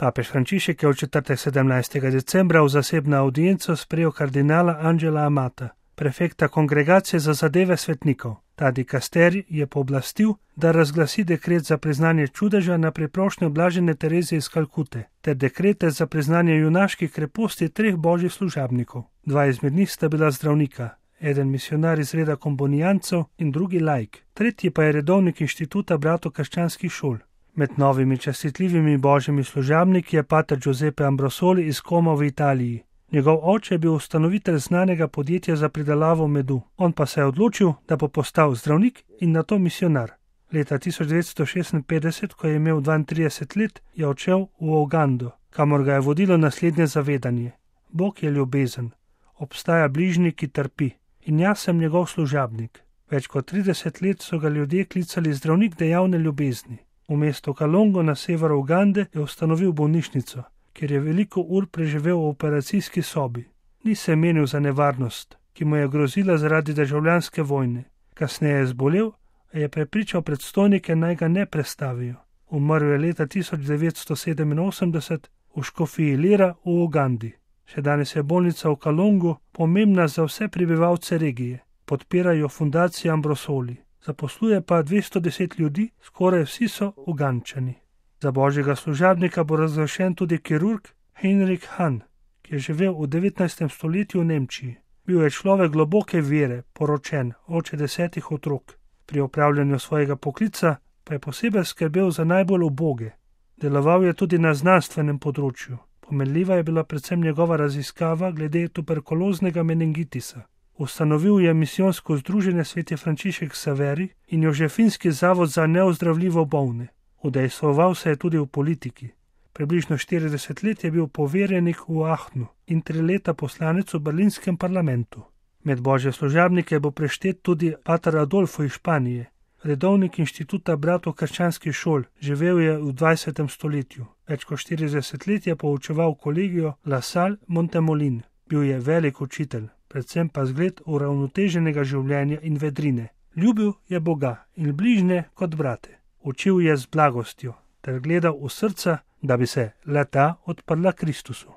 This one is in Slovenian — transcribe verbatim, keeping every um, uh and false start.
Papež Frančišek je v četrtek sedemnajstega decembra v zasebno audienco sprejel kardinala Angela Amata, prefekta Kongregacije za zadeve svetnikov. Ta dikasterij je pooblastil, da razglasi dekret za priznanje čudeža na priprošnjo blažene Terezije iz Kalkute, ter dekrete za priznanje junaških kreposti treh božjih služabnikov. Dva izmed njih sta bila zdravnika, eden misionar iz reda kombonijancev in drugi laik, tretji pa je redovnik inštituta bratov krščanskih šol. Med novimi častitljivimi božjimi služabniki je pater Giuseppe Ambrosoli iz Como v Italiji. Njegov oče je bil ustanovitelj znanega podjetja za pridelavo medu, on pa se je odločil, da bo postal zdravnik in nato misionar. Leta tisoč devetsto šestinpetdeset, ko je imel dvaintrideset let, je odšel v Ugando, kamor ga je vodilo naslednje zavedanje. Bog je ljubezen, obstaja bližnji, ki trpi, in jaz sem njegov služabnik. Več kot trideset let so ga ljudje klicali zdravnik dejavne ljubezni. V mestu Kalongo na severu Ugande je ustanovil bolnišnico, kjer je veliko ur preživel v operacijski sobi. Ni se menil za nevarnost, ki mu je grozila zaradi državljanske vojne. Kasneje je zbolel, a je prepričal predstojnike, naj ga ne prestavijo. Umrl je leta tisoč devetsto sedeminosemdeset v škofiji Lira v Ugandi. Še danes je bolnica v Kalongu pomembna za vse prebivalce regije. Podpirajo fundacijo Ambrosoli. Zaposluje pa dvesto deset ljudi, skoraj vsi so Ugančani. Za božjega služabnika bo razglašen tudi kirurg Heinrich Hahn, ki je živel v devetnajstem stoletju v Nemčiji. Bil je človek globoke vere, poročen, oče desetih otrok. Pri opravljanju svojega poklica pa je posebej skrbel za najbolj uboge. Deloval je tudi na znanstvenem področju. Pomenljiva je bila predvsem njegova raziskava glede tuberkuloznega meningitisa. Ustanovil je misijonsko združenje Sveti Frančišek Saveri in Jožefinski zavod za neozdravljivo bolne. Udejstvoval se je tudi v politiki. Približno štirideset let je bil poverjenik v Aachnu in tri leta poslanec v berlinskem parlamentu. Med božje služabnike bo preštet tudi pater Adolfo iz Španije, redovnik inštituta bratov krščanskih šol, živel je v dvajsetem stoletju. Več kot štirideset let je poučeval kolegijo La Salle Montemolin. Bil je velik učitelj, predvsem pa zgled uravnoteženega življenja in vedrine. Ljubil je Boga in bližnje kot brate. Učil je z blagostjo ter gledal v srca, da bi se le-ta odprla Kristusu.